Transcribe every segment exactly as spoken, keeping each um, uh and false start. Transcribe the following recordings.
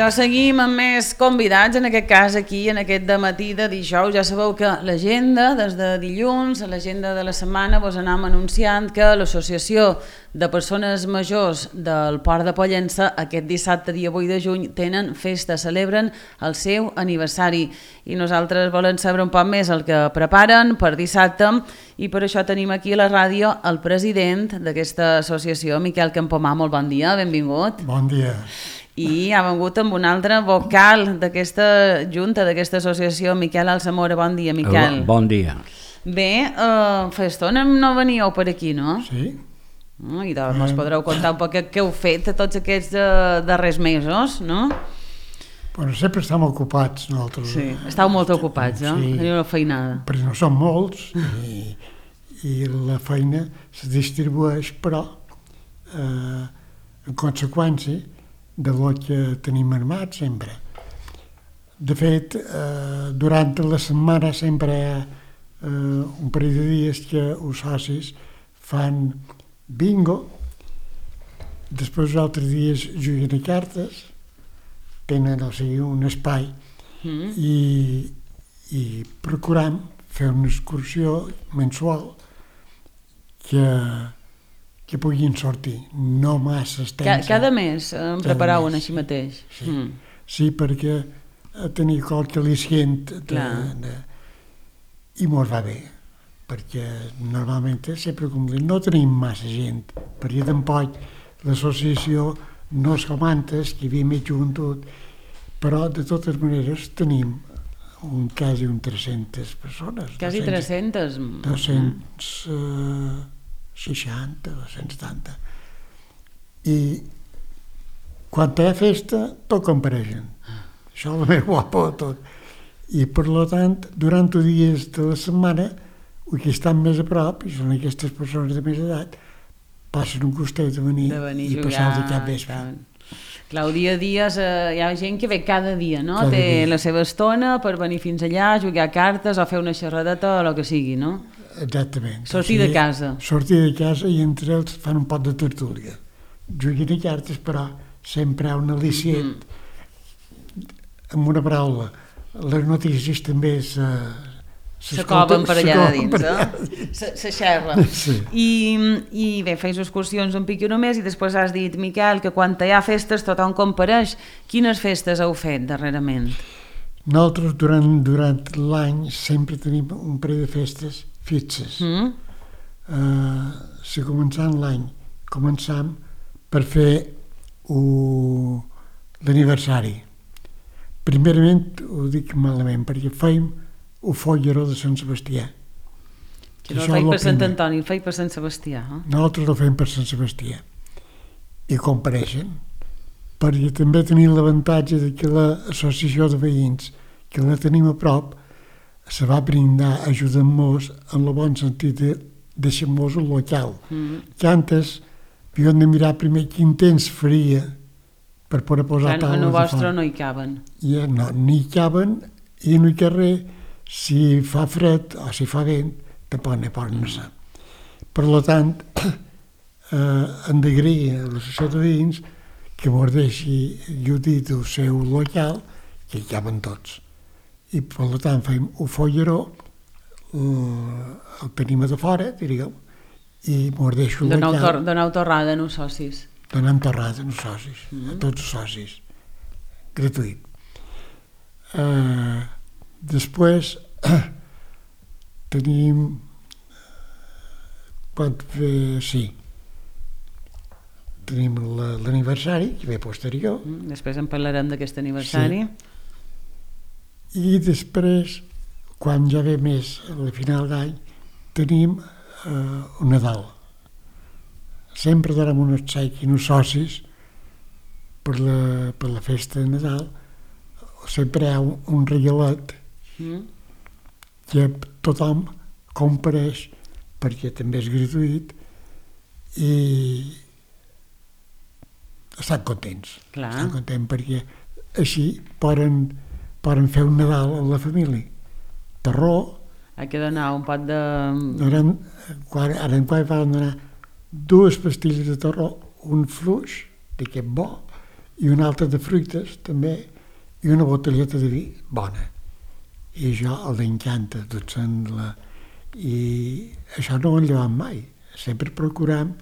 doncs seguim amb més convidats, en aquest cas aquí, en aquest dematí de dijous. Ja sabeu que l'agenda, des de dilluns, a l'agenda de la setmana, vos anem anunciant que l'Associació de Persones Majors del Port de Pollença aquest dissabte, dia vuit de juny, tenen festa, celebren el seu aniversari. I nosaltres volem saber un poc més el que preparen per dissabte i per això tenim aquí a la ràdio el president d'aquesta associació, Miquel Campomà. Molt bon dia, benvingut. Bon dia. I ha vengut amb un altre vocal d'aquesta junta, d'aquesta associació, Miquel Alsamora. Bon dia, Miquel. Bon dia. Bé, uh, fa estona no veníeu per aquí, no? Sí. Uh, I doncs ens podreu contar un poc què heu fet tots aquests uh, darrers mesos, no? Bueno, sempre estem ocupats nosaltres. Sí, estàu molt ocupats, no? Sí. Teniu una feinada. Perquè no som molts i, i la feina se distribueix, però eh, en conseqüència de lo que tenim armat sempre. De fet, eh, durant la setmana sempre hi ha eh, un parell de dies que els socis fan bingo, després els altres dies juguen a cartes, tenen, o sigui, un espai mm. i, i procuram fer una excursió mensual que que puguin sortir, no massa extensa. Cada mes en preparau un així mateix? Sí, mm. sí, perquè tenir qualque al·licient de, de, i mos va bé, perquè normalment sempre com dic, no tenim massa gent, perquè tampoc l'associació no és com antes, que hi havia mig juntut, però de totes maneres tenim un, quasi un tres-centes persones. Quasi tres-centes? dos-cents seixanta, dos-cents setanta. I quan hi ha festa, tot compareixen. Això és el més guapo de tot. I per tant, durant els dies de la setmana, els que estan més a prop, i són aquestes persones de més edat, passen un costat de venir, de venir i passar el cap vespre. Clar, el dia a dia eh, hi ha gent que ve cada dia, no? Cada Té dia. la seva estona per venir fins allà, jugar a cartes o fer una xerradeta o el que sigui, no? Exactament. Sortir o sigui, de casa. Sortir de casa i entre ells fan un pot de tertúlia. Juguen a cartes, però sempre hi ha un al·licient. Mm-hmm. Amb una paraula, les notícies també se... s'acoven per allà de dins, eh? Se, se xerra. Sí. I, I bé, feis excursions un pic i només i després has dit, Miquel, que quan hi ha festes tothom compareix. Quines festes heu fet darrerament? Nosaltres durant, durant l'any sempre tenim un parell de festes fixes. Mm. Uh, si començant l'any començam per fer uh, l'aniversari. Primerament ho dic malament perquè feim el folleró de Sant Sebastià. Que no el feim per Sant Antoni, el feim per Sant Sebastià. Eh? Nosaltres el fem per Sant Sebastià. I compareixen, perquè també tenim l'avantatge de que l'associació de veïns, que la tenim a prop, se va brindar ajudant-nos en el bon sentit de deixar-nos el local. Mm. Que antes havíem de mirar primer quin temps faria per poder posar Clar, taules en el de vostre fora. no hi caben. I, no, no hi caben i no hi ha res. Si fa fred o si fa vent, tampoc ne poden anar. Per tant, eh, hem d'agrair a l'associació de veïns que mos deixi lludir del seu local, que hi caben tots. I per tant fem un folleró, el tenim de fora, diríem, i mos deixo el Donau local. Tor donau torrada en els socis. Donem torrada als socis, mm -hmm. a tots els socis, gratuït. Uh, després tenim quan ve, sí tenim l'aniversari que ve posterior mm, després en parlarem d'aquest aniversari. Sí. I després quan ja ve més a la final d'any tenim uh, un Nadal. Sempre donem un obsequi als socis per la, per la festa de Nadal. Sempre hi ha un, un regalet mm. que tothom compareix perquè també és gratuït i estan contents. Clar. Estan contents perquè així poden, poden fer un Nadal amb la família. Terror. Ha de donar un pot de... Donem, quan, ara en quan van donar dues pastilles de terror, un fluix d'aquest bo i una altra de fruites, també, i una botelleta de vi bona. I això el encanta, tot la... I això no ho enllevem mai. Sempre procuram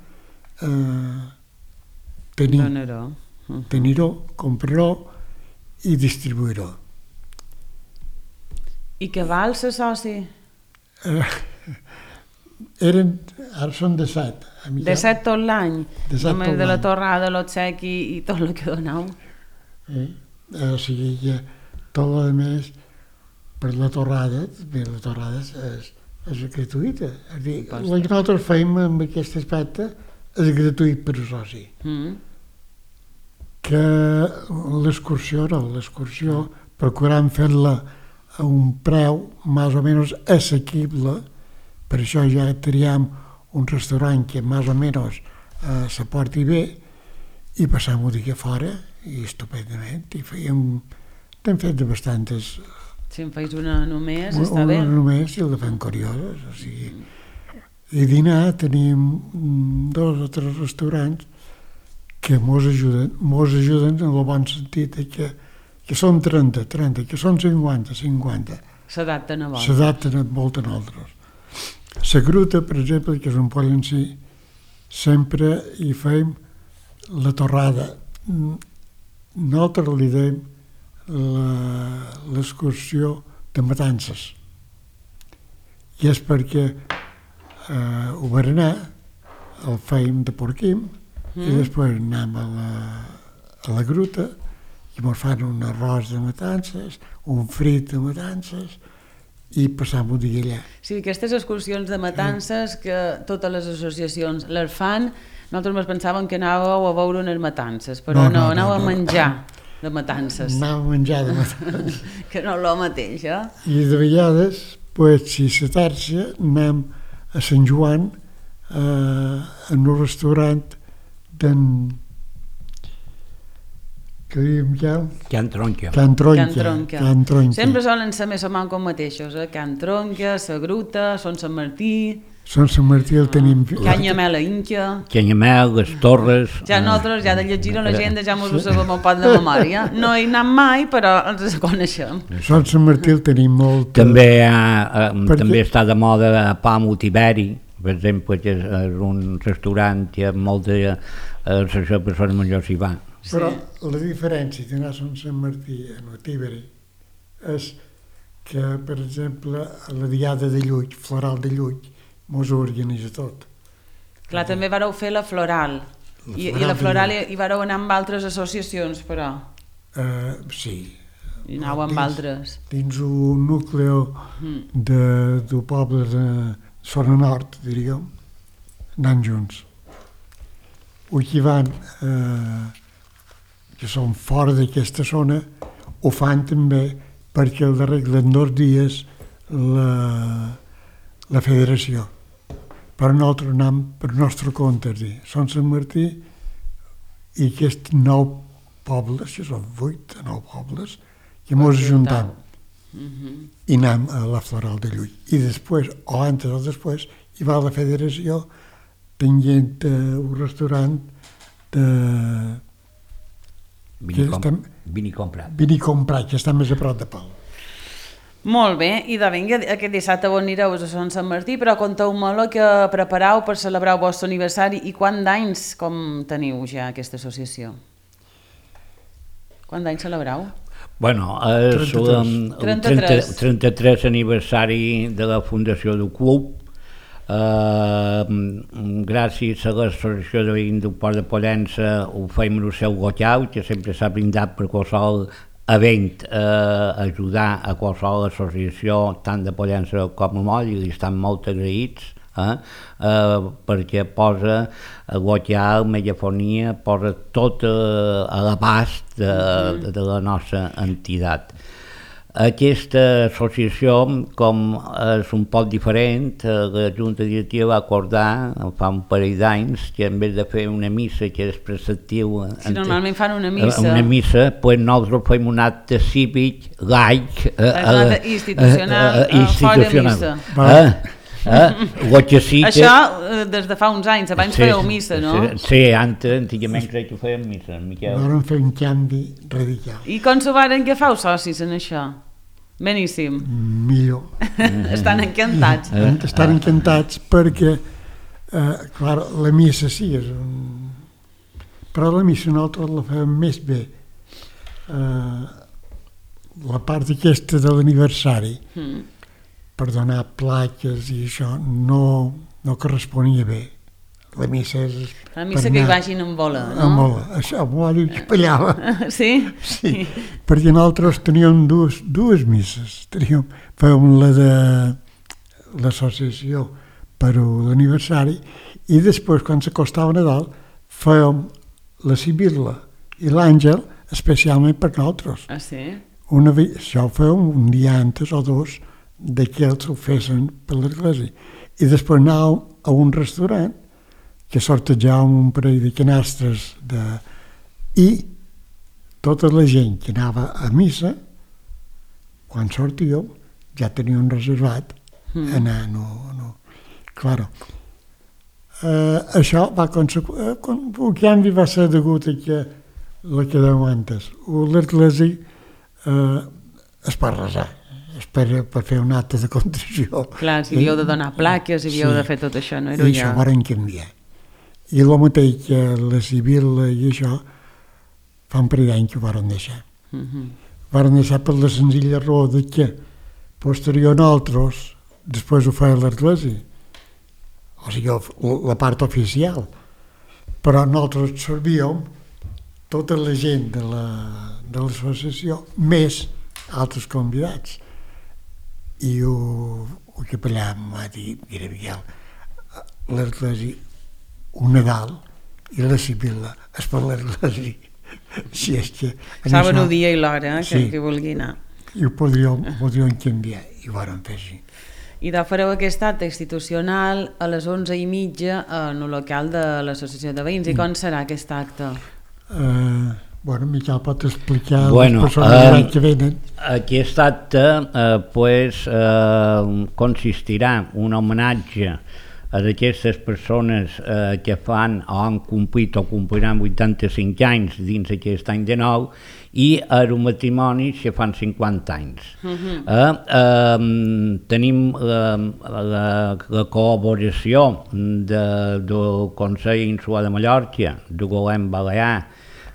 eh, tenir, uh-huh. tenir-ho, comprar-ho i distribuir-ho. I què val ser soci? Eh, eren, ara són de set. De set tot l'any? De set tot l'any. De la torrada, l'obsequi i tot el que doneu? Eh? O sigui que tot el més per la torrada, bé, la torrada és, és gratuïta. És dir, el que nosaltres fem amb aquest aspecte és gratuït per a soci. Mm. Que l'excursió no, l'excursió procurant fer-la a un preu més o menys assequible, per això ja triem un restaurant que més o menys eh, se porti bé i passam un dia fora i estupendament, i fèiem, n'hem fet de bastantes. Si en feis una només, una, està bé. Una només i la fem curioses, o sigui. I dinar tenim dos o tres restaurants que mos ajuden, mos ajuden en el bon sentit que, que són trenta, trenta, que són cinquanta, cinquanta. S'adapten a vols. S'adapten a molt a nosaltres. La Gruta, per exemple, que és un poll en si, sempre hi fem la torrada. Nosaltres li dèiem l'excursió de matances. I és perquè eh, ho berenar el fèiem de porquim mm. i després anem a la, a la Gruta i ens fan un arròs de matances, un frit de matances i passam un dia allà. Sí, aquestes excursions de matances que totes les associacions les fan, nosaltres ens pensàvem que anàveu a veure unes matances, però no, no, no anàveu no, no. a menjar de matances. Anàvem a menjar de matances. Que no és el mateix, eh? I de vegades, pues, si se tercia, anem a Sant Joan eh, en un restaurant d'en... que diem ja? Can Tronca. Can Tronca. Can Tronca. Can Tronca. Sempre solen ser més o menys com mateixos, eh? Can Tronca, Sa Gruta, Son Sant Martí... Son Sant Martí el tenim... Canyamel a Inca... Canyamel, les Torres... Ja nosaltres, ja de llegir a l'agenda, ja mos ho sabem un poc de memòria. No hi anem mai, però ens coneixem. Son Sant Martí el tenim molt... També, ha, Perquè... també està de moda a Palm Tiberi, per exemple, que és un restaurant que moltes uh, persones majors hi van. Però sí. La diferència d'anar a Son Sant Martí a Tiberi és que, per exemple, a la Diada de Llull, Floral de Llull, mos ho organitza tot. Clar, també vareu fer la Floral, la I, floral i la Floral hi, hi vareu anar amb altres associacions, però... Uh, sí. I anàveu amb dins, altres. Dins un nucli de, de poble de Zona Nord, diríem, anant junts. O qui van, eh, que són fora d'aquesta zona, ho fan també perquè el arreglen dos dies la, la federació. Però nosaltres anem per nostre compte, és dir, Son Sant Martí i aquests nou pobles, que són vuit o nou pobles, que mos ajuntem i anem a la Floral de Llull. I després, o antes o després, hi va la federació tenint uh, un restaurant de... Vinicom, Vinicom-Prat. Vinicom-Prat, que està més a prop de Pau. Molt bé, i de vinga, aquest dissabte on anireu a Son Sant Martí, però conteu-me el que prepareu per celebrar el vostre aniversari i quants d'anys com teniu ja aquesta associació? Quants d'anys celebreu? Bueno, és el trenta-tres. trenta-tres aniversari de la fundació del club. Uh, gràcies a l'associació de veïns del Port de Pollença ho fem en el seu local, que sempre s'ha brindat per qualsevol event, eh, ajudar a qualsevol associació tant de Pollença com a Moll, i li estan molt agraïts eh, eh, perquè posa el local, megafonia, posa tot eh, a l'abast de, de, de la nostra entitat. Aquesta associació, com és un poc diferent, la Junta Directiva va acordar fa un parell d'anys que en vez de fer una missa que és preceptiu... Si normalment fan una missa... Una missa, doncs nosaltres fem un acte cívic, laic... Un acte institucional, fora missa. Eh? Lo que sí que... Això des de fa uns anys, abans sí, fèieu missa, no? Sí, sí, antes, antigament crec que fèiem missa, Miquel. Varen fer un canvi radical. I com s'ho varen que feu socis en això? Beníssim. Millor. Estan encantats. Estan encantats perquè, eh, clar, la missa sí, és un... però la missa nosaltres la fem més bé. Eh, la part aquesta de l'aniversari, mm. per donar plaques i això, no, no corresponia bé. La missa és... La missa que hi vagin amb bola, no? Amb bola, això, amb bola i espallava. Sí? Sí, perquè nosaltres teníem dues, dues misses. Teníem, fèiem la de l'associació per l'aniversari i després, quan s'acostava Nadal, fèiem la Sibil·la i l'Àngel especialment per nosaltres. Ah, sí? Una, això ho fèiem un dia antes o dos de que ells ho fessin per l'església. I després anàvem a un restaurant que sortejàvem un parell de canastres de... i tota la gent que anava a missa, quan sortíeu, ja teníem reservat mm. anar, no, no. Claro. Uh, això va conseqüir... Uh, el canvi va ser degut a que la que dèiem antes. L'església uh, es pot resar, es per, per fer un acte de contrició. Clar, si havíeu de donar plaques, si havíeu sí. de fer tot això, no era I això ho van canviar. I el mateix que la Sibil·la i això, fa un parell d'anys que ho van deixar. Uh -huh. Van deixar per la senzilla raó de que posterior a nosaltres, després ho feia l'església, o sigui, la part oficial, però nosaltres servíem tota la gent de l'associació, més altres convidats. I el, el capellà em va dir, mira, Miguel, l'església, un Nadal i la Sibil·la es per l'església. Si és que... Saben el dia i l'hora eh, que, sí. que vulgui anar. I ho podríem, podríem canviar, i ho vam fer així. I de fareu aquest acte institucional a les onze i mitja en el local de l'Associació de Veïns. I com serà aquest acte? Uh, bueno, Miquel pot explicar bueno, les persones uh, que venen. Aquest acte uh, pues, uh, consistirà un homenatge a d'aquestes persones eh, que fan o han complit o compliran vuitanta-cinc anys dins aquest any de nou i a els matrimonis que fan cinquanta anys. Uh-huh. eh, eh, tenim la, la, la col·laboració de, del Consell Insular de Mallorca, del Govern Balear,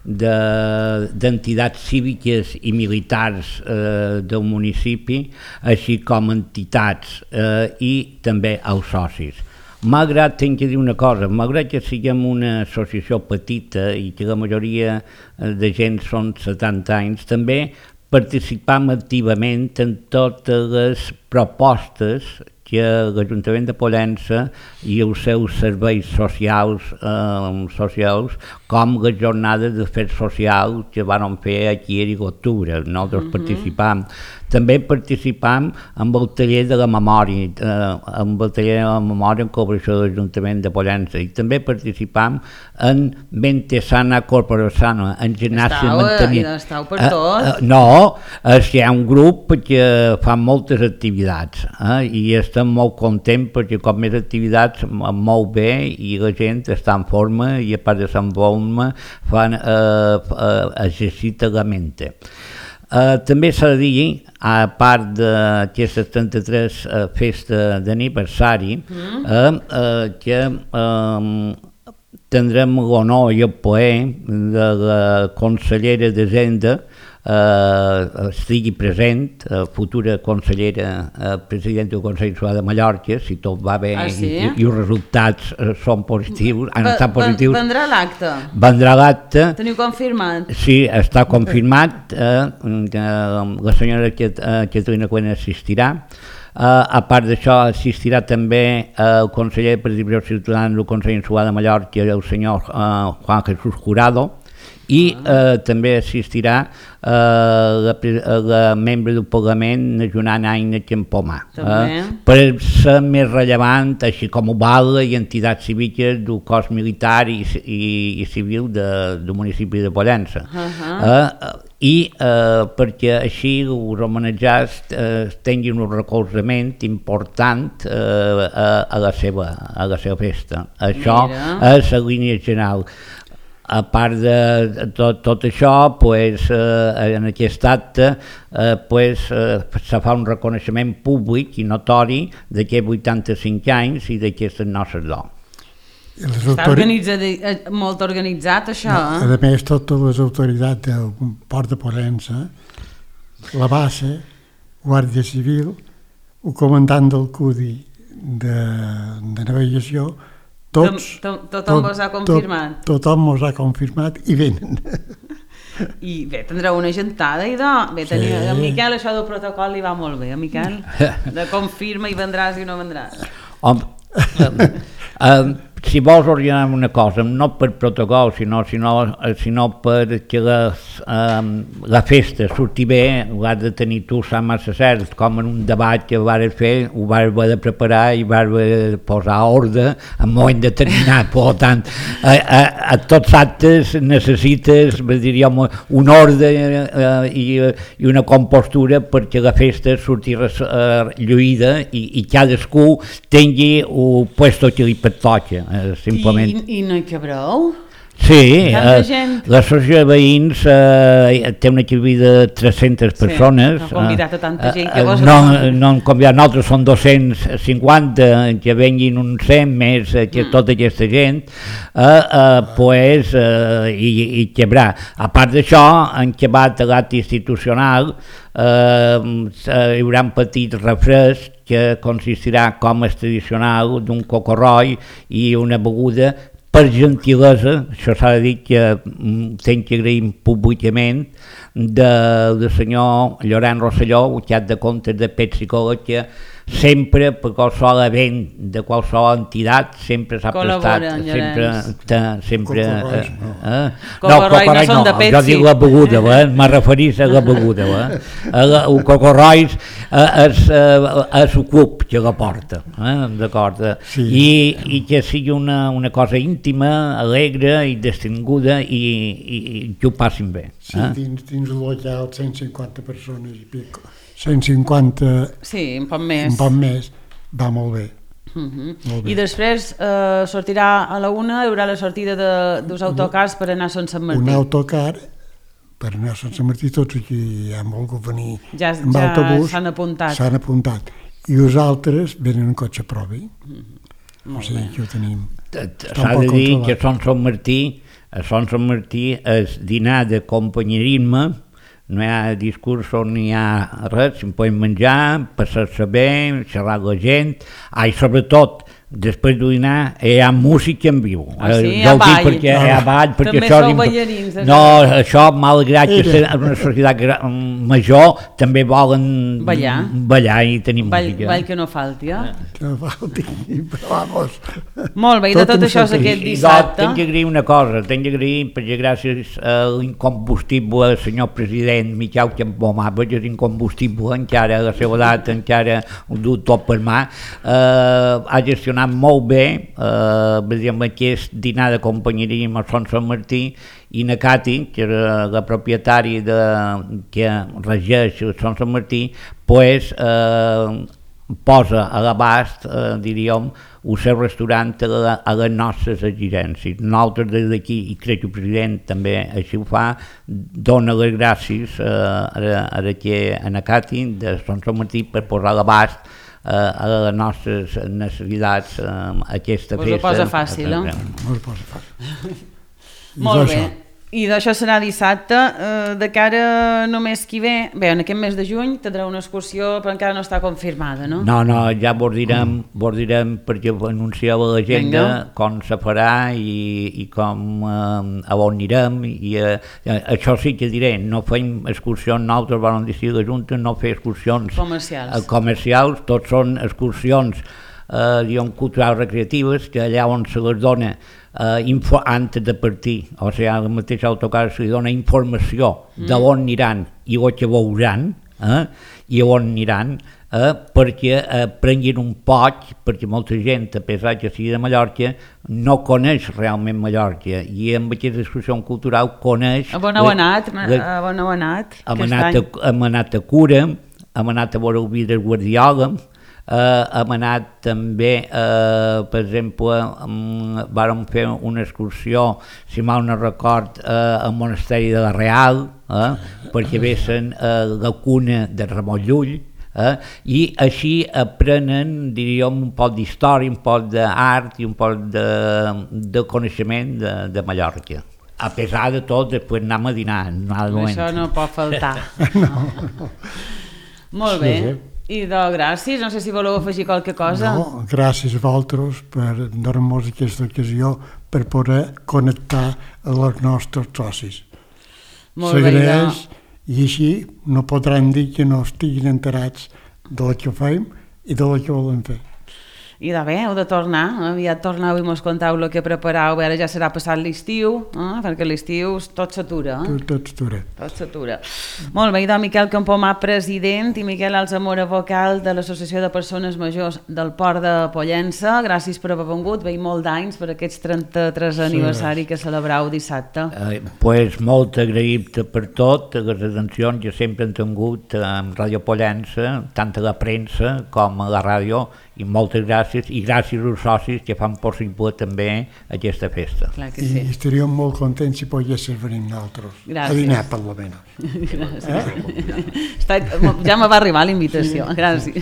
d'entitats de, cíviques i militars eh, del municipi, així com entitats eh, i també els socis. Malgrat, tinc que dir una cosa, malgrat que siguem una associació petita i que la majoria de gent són setanta anys, també participam activament en totes les propostes que l'Ajuntament de Pollença i els seus serveis socials, eh, socials com les jornades d'afers socials que van fer aquí a l'octubre. Nosaltres uh-huh. participam. També participam amb el taller de la memòria, eh, amb el taller de la memòria en col·laboració de l'Ajuntament de Pollença, i també participam en Mente Sana Corpore Sana, en gimnàsia i manteniment. Estàu per tot? Eh, eh, no, és que hi ha un grup que fa moltes activitats eh, i estem molt contents perquè com més activitats molt bé i la gent està en forma i a part de estar en forma fan eh, eh, exercita la mente. Uh, també s'ha de dir, a part d'aquesta trenta-tres uh, festa d'aniversari, mm. uh, uh, que uh, tindrem l'honor i el plaer de la consellera d'Hisenda uh, estigui present, uh, futura consellera, uh, presidenta del Consell Insular de Mallorca, si tot va bé ah, sí? i, i els resultats uh, són positius, han va, estat positius. Vendrà l'acte? Vendrà l'acte. Teniu confirmat? Sí, està confirmat, uh, que la senyora Catalina Cuena assistirà. Uh, a part d'això, assistirà també uh, el conseller de Participació Ciutadana del Consell Insular de Mallorca, el senyor uh, Juan Jesús Jurado, i uh, també assistirà uh, la, la membre del Parlament, Joana Aina Campomà. Uh, per ser més rellevant, així com ho val i entitats cíviques del cos militar i, i, i civil de, del municipi de Pollença. Uh -huh. uh, i eh, perquè així els homenatjats eh, tinguin un recolzament important eh, a, a, la seva, a la seva festa. Això Mira. És la línia general. A part de tot, tot això, pues, eh, en aquest acte eh, pues, eh, se fa un reconeixement públic i notori d'aquests vuitanta-cinc anys i d'aquestes nostres dones. Està organitzat, molt organitzat, això, no, eh? A més, totes les autoritats del Port de Pollença, la base, Guàrdia Civil, el comandant del C U D I de, de navegació, tots... Tot, tothom tot, vos ha confirmat. Tot, tothom mos ha confirmat i venen. I bé, tindreu una gentada i de... Bé, tenia, sí. A Miquel això del protocol li va molt bé, a Miquel, de confirma i vendràs i no vendràs. Home, um, um, si vols ordenar una cosa, no per protocol, sinó, sinó, sinó perquè la, um, la festa surti bé, ho has de tenir tu, sap massa cert, com en un debat que vas fer, ho vas haver de preparar i vas haver de posar ordre en un moment determinat. Per tant, a, a, a tots actes necessites, diríem, un ordre uh, i, i una compostura perquè la festa surti uh, lluïda i, i cadascú tingui el puesto que li pertoca. Simplement. I, I no hi cabreu? Sí, eh, l'associació de veïns eh, té un equip de tres-centes persones. Sí, no ha convidat a tanta gent que eh, vos... No, no han convidat, nosaltres són dos-cents cinquanta, que venguin uns cent més eh, que mm. tota aquesta gent, eh, eh, pues, eh, i, i quebrar. A part d'això, han quebat l'acte institucional, eh, hi haurà un petit refresc que consistirà, com és tradicional, d'un cocorroi i una beguda per gentilesa, això s'ha de dir que tenc que agrair públicament del senyor Llorenç Rosselló, cap de comptes de Pepsi-Cola, que sempre, per qualsevol event de qualsevol entitat, sempre s'ha prestat, sempre... sempre eh, eh? No, Cocorrois no són de Pepsi. Jo dic la beguda, eh? M'ha referit a la beguda. Eh? El Cocorrois és el club que la porta, eh? D'acord? Sí. I, I que sigui una, una cosa íntima, alegre i distinguda i, i, i que ho passin bé. Sí, eh? dins, dins el local cent cinquanta persones i pico. cent cinquanta... Sí, un poc més. Un poc més, va molt bé. Uh-huh. Molt bé. I després eh, sortirà a la una, hi haurà la sortida de, dels autocars per anar a Sant Sant Martí. Un autocar per anar a Sant Sant Martí, tots aquí han volgut venir ja, amb ja autobús. S'han apuntat. S'han apuntat. I els altres venen en cotxe propi. Uh-huh. O sigui que ho tenim. S'ha de dir que a Sant Sant Martí, a Sant Sant Martí és dinar de companyerisme, no hi ha discursos, no hi ha res, si podem menjar, passar-se bé, xerrar amb la gent, ah, i sobretot, després de dinar, hi ha música en viu. Ah, sí, hi ha ball. Perquè hi ha ball, perquè també això... sou ballarins. No, això, malgrat que és una societat major, també volen ballar, ballar i tenir ball, música. Ball que no falti, eh? Que no falti, però vamos. Molt bé, i de tot, tot això és aquest dissabte. Tinc que agrair una cosa, tinc que agrair, perquè gràcies a l'incombustible senyor president Miquel Campomà, perquè és incombustible, encara a la seva edat, encara ho du tot per mà, eh, ha gestionat molt bé, eh, amb aquest dinar de companyerisme a Sant Sant Martí, i na Cati, que era la propietària de, que regeix Sant Sant Martí, pues, eh, posa a l'abast, eh, diríem, el seu restaurant a, la, a les nostres exigències. Nosaltres des d'aquí, i crec que el president també així ho fa, dona les gràcies eh, a, a, a na Cati de Sant Sant Martí per posar a l'abast a les nostres necessitats aquesta festa. Us ho posa fàcil, eh? Us ho posa fàcil. Molt bé. I d'això serà dissabte. De cara només qui ve, bé, en aquest mes de juny tindrà una excursió, però encara no està confirmada, no? No, no, ja vos direm, vos direm perquè anuncieu a l'agenda com se farà i, i com eh, a on anirem. I, eh, això sí que diré, no fem excursions, nosaltres vam decidir la Junta no fer excursions comercials, comercials, tots són excursions eh, diguem, culturals recreatives, que allà on se les dona Uh, info, antes de partir, o sigui, al mateix autocar se li dona informació mm. de on aniran i el que veuran, eh? I on aniran, eh, perquè eh, prenguin un poc, perquè molta gent, a pesar que sigui de Mallorca, no coneix realment Mallorca, i amb aquesta excursió cultural coneix... A on heu anat? A on heu anat? Hem anat, hem anat a Cura, hem anat a veure el vi del Guardiola, Uh, hem anat també, uh, per exemple, um, vàrem fer una excursió, si mal no record, uh, al Monasteri de la Real, uh, perquè vessen uh, la cuna de Ramon Llull, uh, i així aprenen, diríem, un poc d'història, un poc d'art i un poc de, de coneixement de, de Mallorca. A pesar de tot, després anem a dinar. Això no pot faltar. No. Molt bé. Sí, sí. I de gràcies, no sé si voleu afegir qualque cosa. No, gràcies a vosaltres per donar-nos aquesta ocasió per poder connectar amb els nostres socis. Molt bé, S'agraeix, i així no podran dir que no estiguin enterats del que fem i del que volem fer. I de bé, heu de tornar, aviat torneu i mos contau el que prepareu, ara ja serà passat l'estiu, eh? perquè l'estiu tot s'atura. Eh? Tot, tot s'atura. Tot s'atura. Molt bé, i doncs Miquel Campomà, president, i Miquel Alzamora, vocal de l'Associació de Persones Majors del Port de Pollença, gràcies per haver vengut, veiem molt d'anys per aquests trenta-tres sí. aniversari que celebrau dissabte. Eh, pues molt agraït per tot, les atencions que sempre han tingut amb Ràdio Pollença, tant a la premsa com a la ràdio, i moltes gràcies, i gràcies als socis que fan possible també aquesta festa. Clar que sí. I estaríem molt contents si poguéssim venir nosaltres. Gràcies. A dinar, per lo menos. Gràcies. Eh? Està, ja me va arribar la invitació. Sí. Gràcies.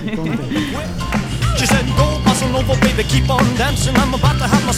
She said, go, bossa nova, baby, keep on dancing. I'm about to have myself